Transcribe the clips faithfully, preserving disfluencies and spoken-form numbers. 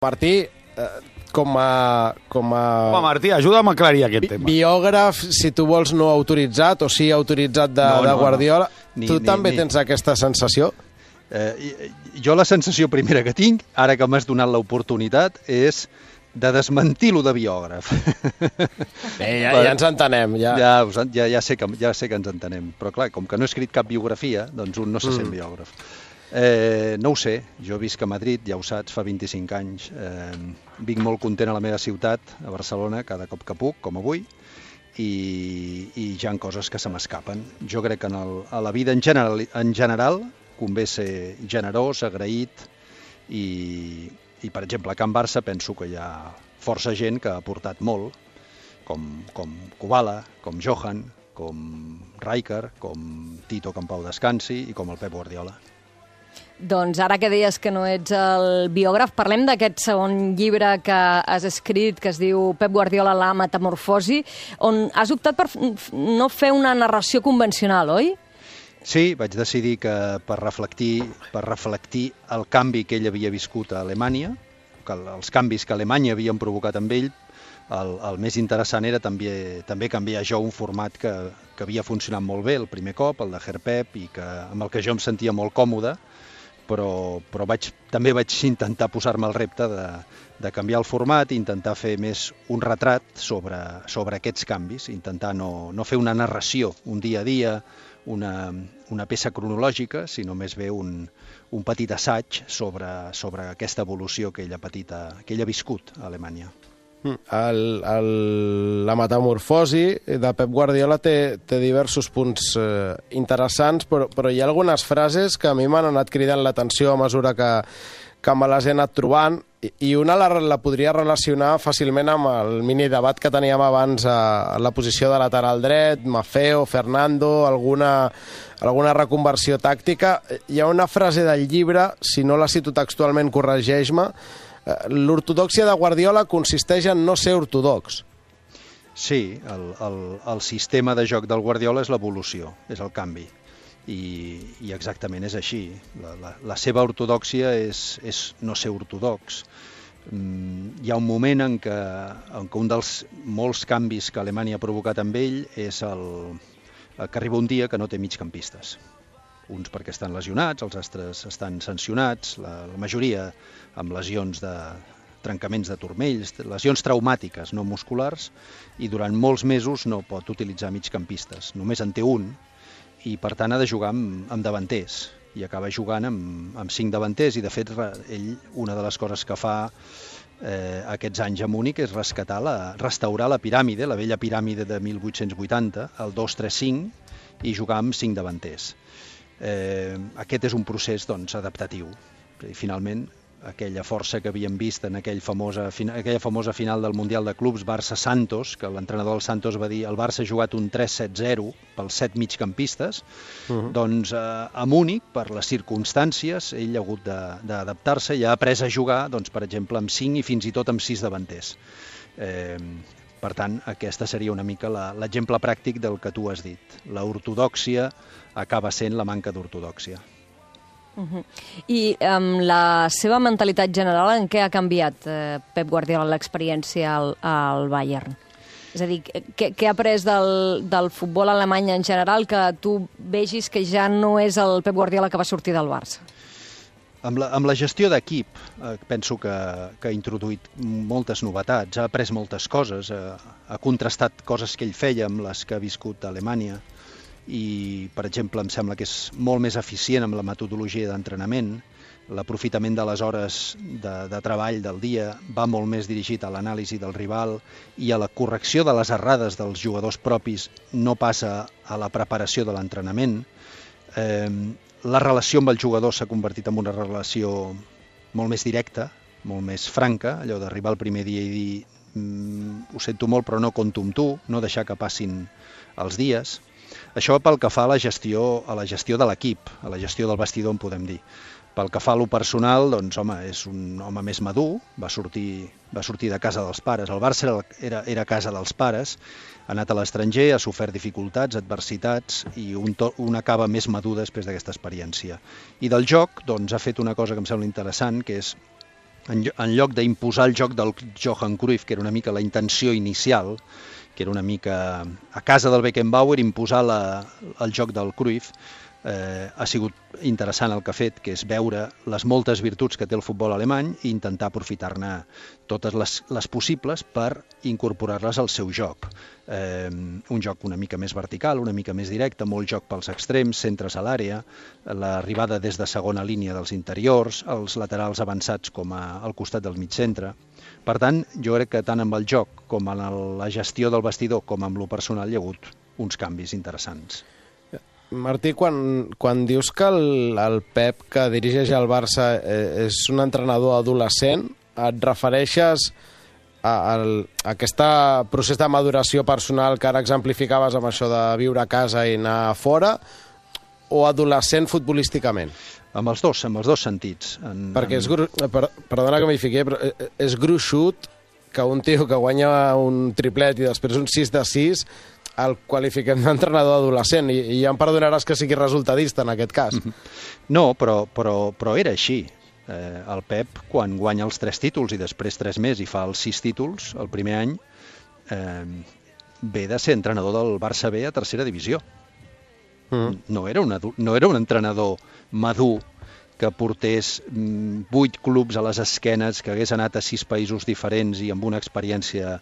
Martí, eh, com a... Com a... Home, Martí, ajuda'm a aclarir aquest tema. Biògraf, si tu vols, no autoritzat, o sí autoritzat de, no, de no, Guardiola. no. Ni, tu ni, també ni. tens aquesta sensació? Eh, jo la sensació primera que tinc, ara que m'has donat l'oportunitat, és de desmentir-lo de biògraf. Bé, ja, ja ens entenem. Ja. Ja, ja, ja, sé que, ja sé que ens entenem, però clar, com que no he escrit cap biografia, doncs un no se sent mm. biògraf. Eh, no ho sé, jo visc a Madrid, ja ho saps, fa vint-i-cinc anys. Eh, vinc molt content a la meva ciutat, a Barcelona, cada cop que puc, com avui, i, i hi ha coses que se m'escapen. Jo crec que en el, a la vida en general, en general convé ser generós, agraït, i, i per exemple, a Can Barça penso que hi ha força gent que ha aportat molt, com, com Kubala, com Johan, com Rijkaard, com Tito, que en pau descansi, i com el Pep Guardiola. Doncs ara que deies que no ets el biògraf, parlem d'aquest segon llibre que has escrit, que es diu Pep Guardiola, la metamorfosi, on has optat per no fer una narració convencional, oi? Sí, vaig decidir que per reflectir, per reflectir el canvi que ell havia viscut a Alemanya, que els canvis que Alemanya havien provocat amb ell, el, el més interessant era també, també canviar jo un format que, que havia funcionat molt bé el primer cop, el de Herr-Pep, i que, amb el que jo em sentia molt còmode, però, però vaig, també vaig intentar posar-me el repte de, de canviar el format i intentar fer més un retrat sobre, sobre aquests canvis, intentar no, no fer una narració, un dia a dia, una, una peça cronològica, sinó més bé un, un petit assaig sobre, sobre aquesta evolució que ell ha patit, a, que ell ha viscut a Alemanya. El, el, la metamorfosi de Pep Guardiola té, té diversos punts eh, interessants, però, però hi ha algunes frases que a mi m'han anat cridant l'atenció a mesura que, que me les he anat trobant, i, i una la, la podria relacionar fàcilment amb el minidebat que teníem abans a, a la posició de lateral dret, Maffeo, Fernando, alguna, alguna reconversió tàctica. Hi ha una frase del llibre, si no la cito textualment, corregeix-me: l'ortodòxia de Guardiola consisteix en no ser ortodox. Sí, el, el, el sistema de joc del Guardiola és l'evolució, és el canvi. I, i exactament és així. La, la, la seva ortodòxia és, és no ser ortodox. Mm, hi ha un moment en què, en què un dels molts canvis que Alemanya ha provocat amb ell és el, el que arriba un dia que no té migcampistes. Uns perquè estan lesionats, els altres estan sancionats, la, la majoria amb lesions de trencaments de turmells, lesions traumàtiques, no musculars, i durant molts mesos no pot utilitzar migcampistes. Només en té un, i per tant ha de jugar amb, amb davanters, i acaba jugant amb, amb cinc davanters, i de fet ell, una de les coses que fa eh, aquests anys a Múnich és rescatar la, restaurar la piràmide, la vella piràmide de mil vuit-cents vuitanta, el dos tres cinc, i jugar amb cinc davanters. Eh, aquest és un procés doncs, adaptatiu. I finalment, aquella força que havíem vist en aquell famosa, aquella famosa final del Mundial de Clubs Barça-Santos, que l'entrenador del Santos va dir el Barça ha jugat un tres set zero pels set migcampistes, uh-huh. doncs eh, a Múnich, per les circumstàncies, ell ha hagut d'adaptar-se i ha après a jugar, doncs, per exemple, amb cinc i fins i tot amb sis davanters. Eh, per tant, aquesta seria una mica l'exemple pràctic del que tu has dit. La ortodòxia acaba sent la manca d'ortodòxia. Uh-huh. I amb um, la seva mentalitat general, en què ha canviat eh, Pep Guardiola l'experiència al, al Bayern? És a dir, què, què ha après del, del futbol alemany en general que tu vegis que ja no és el Pep Guardiola que va sortir del Barça? Amb la, amb la gestió d'equip, eh, penso que, que ha introduït moltes novetats, ha après moltes coses, eh, ha contrastat coses que ell feia amb les que ha viscut a Alemanya, i, per exemple, em sembla que és molt més eficient amb la metodologia d'entrenament. L'aprofitament de les hores de, de treball del dia va molt més dirigit a l'anàlisi del rival i a la correcció de les errades dels jugadors propis, no passa a la preparació de l'entrenament. Eh, la relació amb el jugador s'ha convertit en una relació molt més directa, molt més franca, allò d'arribar el primer dia i dir mm, ho sento molt però no compto amb tu, no deixar que passin els dies. Això pel que fa a la gestió, a la gestió de l'equip, a la gestió del vestidor, en podem dir. Pel que fa a lo personal, doncs, home, és un home més madur, va sortir, va sortir de casa dels pares. El Barça era, era casa dels pares, ha anat a l'estranger, ha sofert dificultats, adversitats, i un, to, un acaba més madur després d'aquesta experiència. I del joc, doncs, ha fet una cosa que em sembla interessant, que és en, en lloc d'imposar el joc del Johan Cruyff, que era una mica la intenció inicial, que era una mica a casa del Beckenbauer, imposar la, el joc del Cruyff, eh, ha sigut interessant el que ha fet, que és veure les moltes virtuts que té el futbol alemany i intentar aprofitar-ne totes les, les possibles per incorporar-les al seu joc. Eh, un joc una mica més vertical, una mica més directe, molt joc pels extrems, centres a l'àrea, l'arribada des de segona línia dels interiors, els laterals avançats com a, al costat del mig centre. Per tant, jo crec que tant amb el joc com en el, la gestió del vestidor com amb lo personal hi ha hagut uns canvis interessants. Martí, quan, quan dius que el, el Pep, que dirigeix el Barça, eh, és un entrenador adolescent, et refereixes a, a, a aquest procés de maduració personal que ara exemplificaves amb això de viure a casa i anar a fora, o adolescent futbolísticament? Amb els dos, amb els dos sentits. En, Perquè en... és, gru... per, perdona que m'hi fiqui, però és gruixut que un tio que guanya un triplet i després un sis de sis el qualifiquem d'entrenador adolescent, i, i ja em perdonaràs que sigui resultadista en aquest cas. No, però, però, però era així. Eh, el Pep, quan guanya els tres títols i després tres més i fa els sis títols el primer any, eh, ve de ser entrenador del Barça B a tercera divisió. Mm. No era un, no era un entrenador madur que portés vuit clubs a les esquenes, que hagués anat a sis països diferents i amb una experiència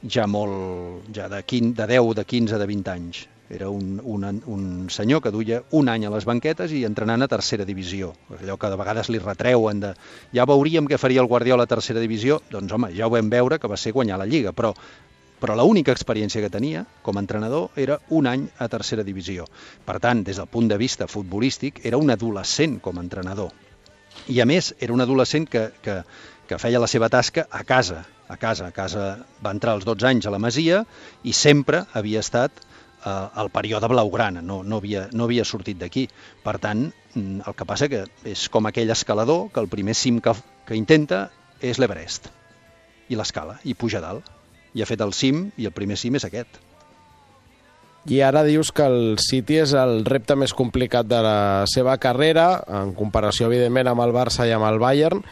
ja molt, ja de, quinze, de deu, de quinze, de vint anys. Era un, un, un senyor que duia un any a les banquetes i entrenant a tercera divisió. Allò que de vegades li retreuen de ja veuríem què faria el Guardiola a tercera divisió, doncs home, ja ho vam veure que va ser guanyar la Lliga, però però l'única experiència que tenia com a entrenador era un any a tercera divisió. Per tant, des del punt de vista futbolístic, era un adolescent com a entrenador. I a més, era un adolescent que, que, que feia la seva tasca a casa. A casa, a casa va entrar als dotze anys a la Masia i sempre havia estat eh, al període blaugrana, no, no, havia, no havia sortit d'aquí. Per tant, el que passa que és com aquell escalador que el primer cim que, que intenta és l'Everest. I l'escala, i puja dalt. I ha fet el cim, i el primer cim és aquest. I ara dius que el City és el repte més complicat de la seva carrera, en comparació, evidentment, amb el Barça i amb el Bayern.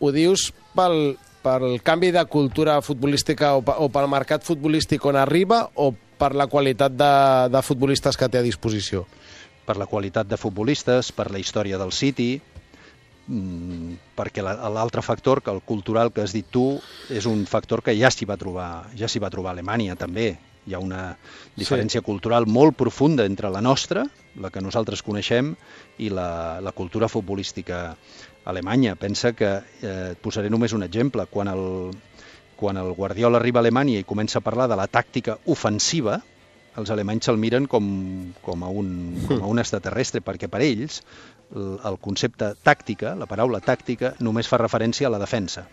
Ho dius pel, pel canvi de cultura futbolística o, o pel mercat futbolístic on arriba, o per la qualitat de, de futbolistes que té a disposició? Per la qualitat de futbolistes, per la història del City, perquè l'altre factor, que el cultural que has dit tu, és un factor que ja s'hi va trobar, ja s'hi va trobar a Alemanya també. Hi ha una diferència sí. cultural molt profunda entre la nostra, la que nosaltres coneixem, i la, la cultura futbolística alemanya. Pensa que, eh, et posaré només un exemple, quan el, quan el Guardiola arriba a Alemanya i comença a parlar de la tàctica ofensiva, els alemanys se'l miren com, com, a un, com a un extraterrestre, perquè per ells el, el concepte tàctica, la paraula tàctica, només fa referència a la defensa.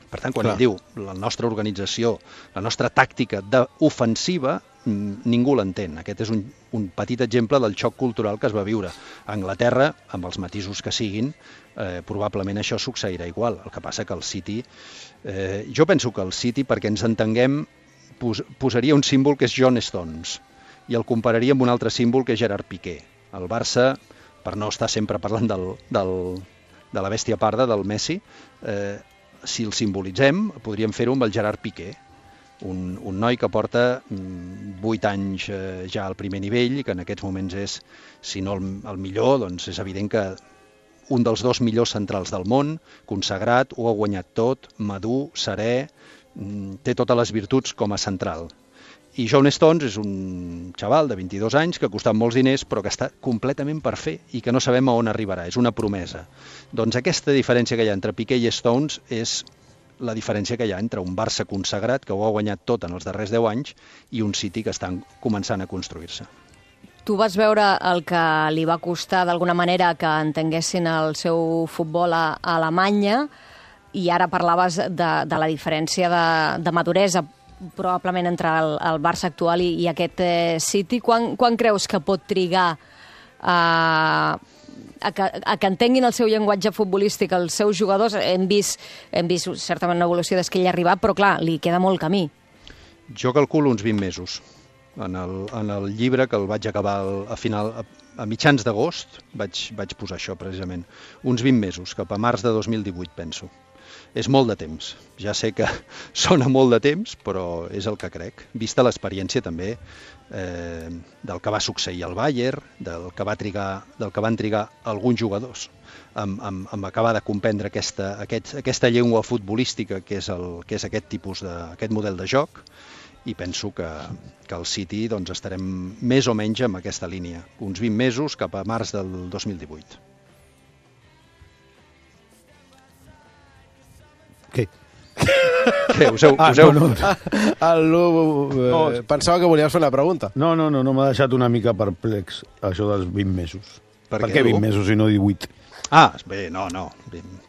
Per tant, quan Clar. ell diu la nostra organització, la nostra tàctica ofensiva, ningú l'entén. Aquest és un, un petit exemple del xoc cultural que es va viure a Anglaterra, amb els matisos que siguin, eh, probablement això succeirà igual. El que passa que el City... Eh, jo penso que el City, perquè ens entenguem, pos, posaria un símbol que és John Stones i el compararia amb un altre símbol que és Gerard Piqué. El Barça, per no estar sempre parlant del, del, de la bèstia parda, del Messi, eh, si el simbolitzem, podríem fer-ho amb el Gerard Piqué, un, un noi que porta vuit anys eh, ja al primer nivell i que en aquests moments és, si no el, el millor, doncs és evident que un dels dos millors centrals del món, consagrat, ho ha guanyat tot, madur, serè, té totes les virtuts com a central. I John Stones és un xaval de vint-i-dos anys que ha costat molts diners però que està completament per fer i que no sabem a on arribarà, és una promesa. Doncs aquesta diferència que hi ha entre Piqué i Stones és la diferència que hi ha entre un Barça consagrat que ho ha guanyat tot en els darrers deu anys i un City que està començant a construir-se. Tu vas veure el que li va costar d'alguna manera que entenguessin el seu futbol a, a Alemanya i ara parlaves de, de la diferència de, de maduresa probablement entre el, el Barça actual i, i aquest eh, City. Quan, quan creus que pot trigar a, a, que, a que entenguin el seu llenguatge futbolístic els seus jugadors? Hem vist, hem vist certament una evolució des que ell ha arribat, però clar, li queda molt camí. Jo calculo uns vint mesos. En el, en el llibre, que el vaig acabar a, final, a, a mitjans d'agost, vaig, vaig posar això precisament. Uns vint mesos, cap a març de dos mil divuit, penso. és molt de temps. Ja sé que sona molt de temps, però és el que crec. Vista l'experiència també eh, del que va succeir al Bayern, del que, va trigar, del que van trigar alguns jugadors amb, amb, amb acabar de comprendre aquesta, aquest, aquesta llengua futbolística que és, el, que és aquest tipus de, aquest model de joc, i penso que, que al City doncs, estarem més o menys en aquesta línia, uns vint mesos cap a març del dos mil divuit. Què? Què, us heu... Ah, us heu... no, no. El Lu, eh, No. pensava que volies fer una pregunta. No, no, no, no m'ha deixat una mica perplex, això dels vint mesos. Per Per què, què vint Lu? mesos i no divuit? Ah, bé, no, no,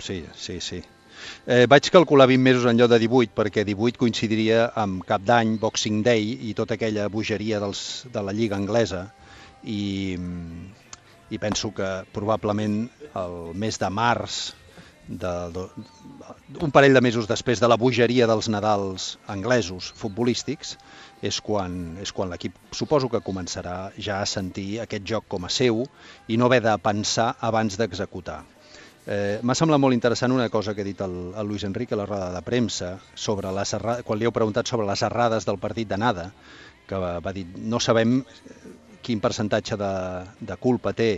sí, sí, sí. Eh, vaig calcular vint mesos en lloc de divuit, perquè divuit coincidiria amb Cap d'Any, Boxing Day i tota aquella bogeria dels, de la Lliga Anglesa, i, i penso que probablement el mes de març, de, de, un parell de mesos després de la bogeria dels Nadals anglesos futbolístics, és quan, és quan l'equip suposo que començarà ja a sentir aquest joc com a seu i no haver de pensar abans d'executar. Eh, M'ha semblat molt interessant una cosa que ha dit el, el Luis Enrique a la roda de premsa, sobre les errades, quan li heu preguntat sobre les errades del partit d'anada, que va, va dir no sabem quin percentatge de, de culpa té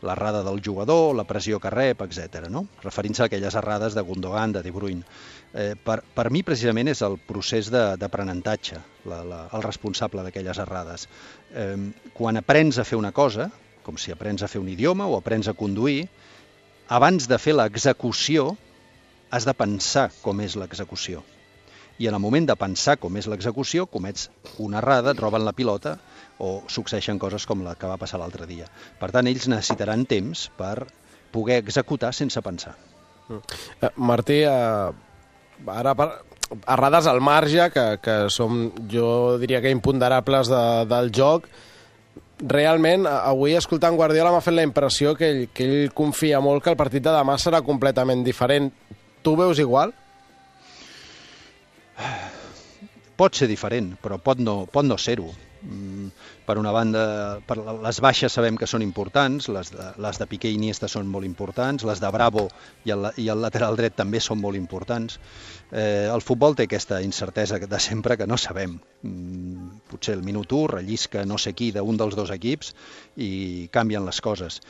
l'errada del jugador, la pressió que rep, etcètera, no? Referint-se a aquelles errades de Gundogan, de De Bruyne. Eh, per, per mi, precisament, és el procés d'aprenentatge el responsable d'aquelles errades. Eh, quan aprens a fer una cosa, com si aprens a fer un idioma o aprens a conduir, abans de fer l'execució, has de pensar com és l'execució. I en el moment de pensar com és l'execució, comets una errada, et roben la pilota o succeeixen coses com la que va passar l'altre dia. Per tant, ells necessitaran temps per poder executar sense pensar. Eh, Martí, eh, ara per, errades al marge, que, que som, jo diria que imponderables de, del joc, realment, avui escoltant Guardiola m'ha fet la impressió que ell, que ell confia molt que el partit de demà serà completament diferent. Tu ho veus igual? Pot ser diferent, però pot no, pot no ser-ho. Per una banda, per les baixes sabem que són importants, les de, les de Piqué i Iniesta són molt importants, les de Bravo i el, i el lateral dret també són molt importants. Eh, el futbol té aquesta incertesa de sempre que no sabem. Potser el minut u rellisca no sé qui d'un dels dos equips i canvien les coses.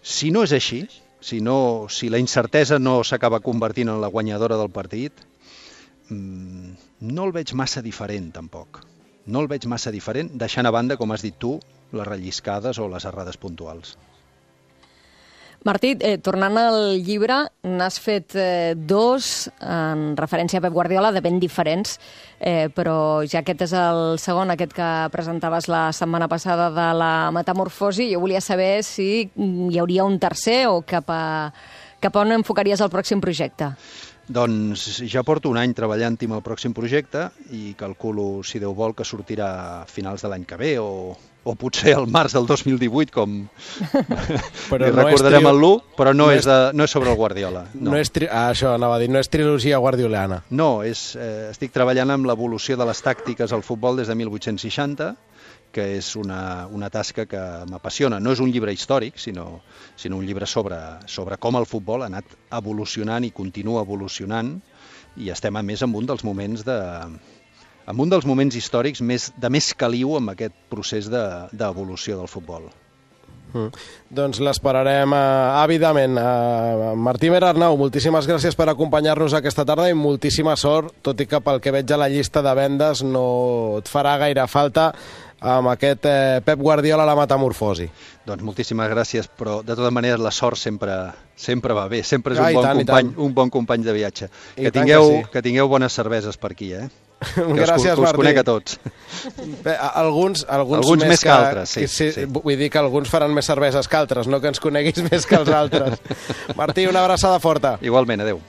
Si no és així, si, no, si la incertesa no s'acaba convertint en la guanyadora del partit, no el veig massa diferent, tampoc. No el veig massa diferent, deixant a banda, com has dit tu, les relliscades o les errades puntuals. Martí, eh, tornant al llibre, n'has fet eh, dos en referència a Pep Guardiola, de ben diferents, eh, però ja aquest és el segon, aquest que presentaves la setmana passada de la metamorfosi. Jo volia saber si hi hauria un tercer o cap a, cap a on enfocaries el pròxim projecte. Doncs ja porto un any treballant-hi amb el pròxim projecte i calculo, si Déu vol, que sortirà a finals de l'any que ve o, o potser al març del dos mil divuit, com però li no recordarem tri... el Lu, però no, no, és és... de, no és sobre el Guardiola. No, no és tri... ah, això anava a dir, no és trilogia guardiolana. No, és, eh, estic treballant amb l'evolució de les tàctiques al futbol des de mil vuit-cents seixanta, que és una, una tasca que m'apassiona. No és un llibre històric, sinó, sinó un llibre sobre, sobre com el futbol ha anat evolucionant i continua evolucionant, i estem a més en un dels moments de, en un dels moments històrics més, de més caliu amb aquest procés d'evolució de, del futbol. Mm. Doncs l'esperarem uh, àvidament. Uh, Martí Mera Arnau, moltíssimes gràcies per acompanyar-nos aquesta tarda i moltíssima sort, tot i que pel que veig a la llista de vendes no et farà gaire falta amb aquest eh, Pep Guardiola a la metamorfosi. Doncs moltíssimes gràcies, però de tota manera la sort sempre, sempre va bé, sempre és un, ah, bon tant, company, un bon company de viatge. I que tingueu, que, sí. que tingueu bones cerveses per aquí, eh? Que gràcies, us, que us Martí. conec a tots. Bé, alguns, alguns, alguns més, més que, que altres, sí, que, sí, sí. Vull dir que alguns faran més cerveses que altres, no que ens coneguis més que els altres. Martí, una abraçada forta. Igualment, adeu.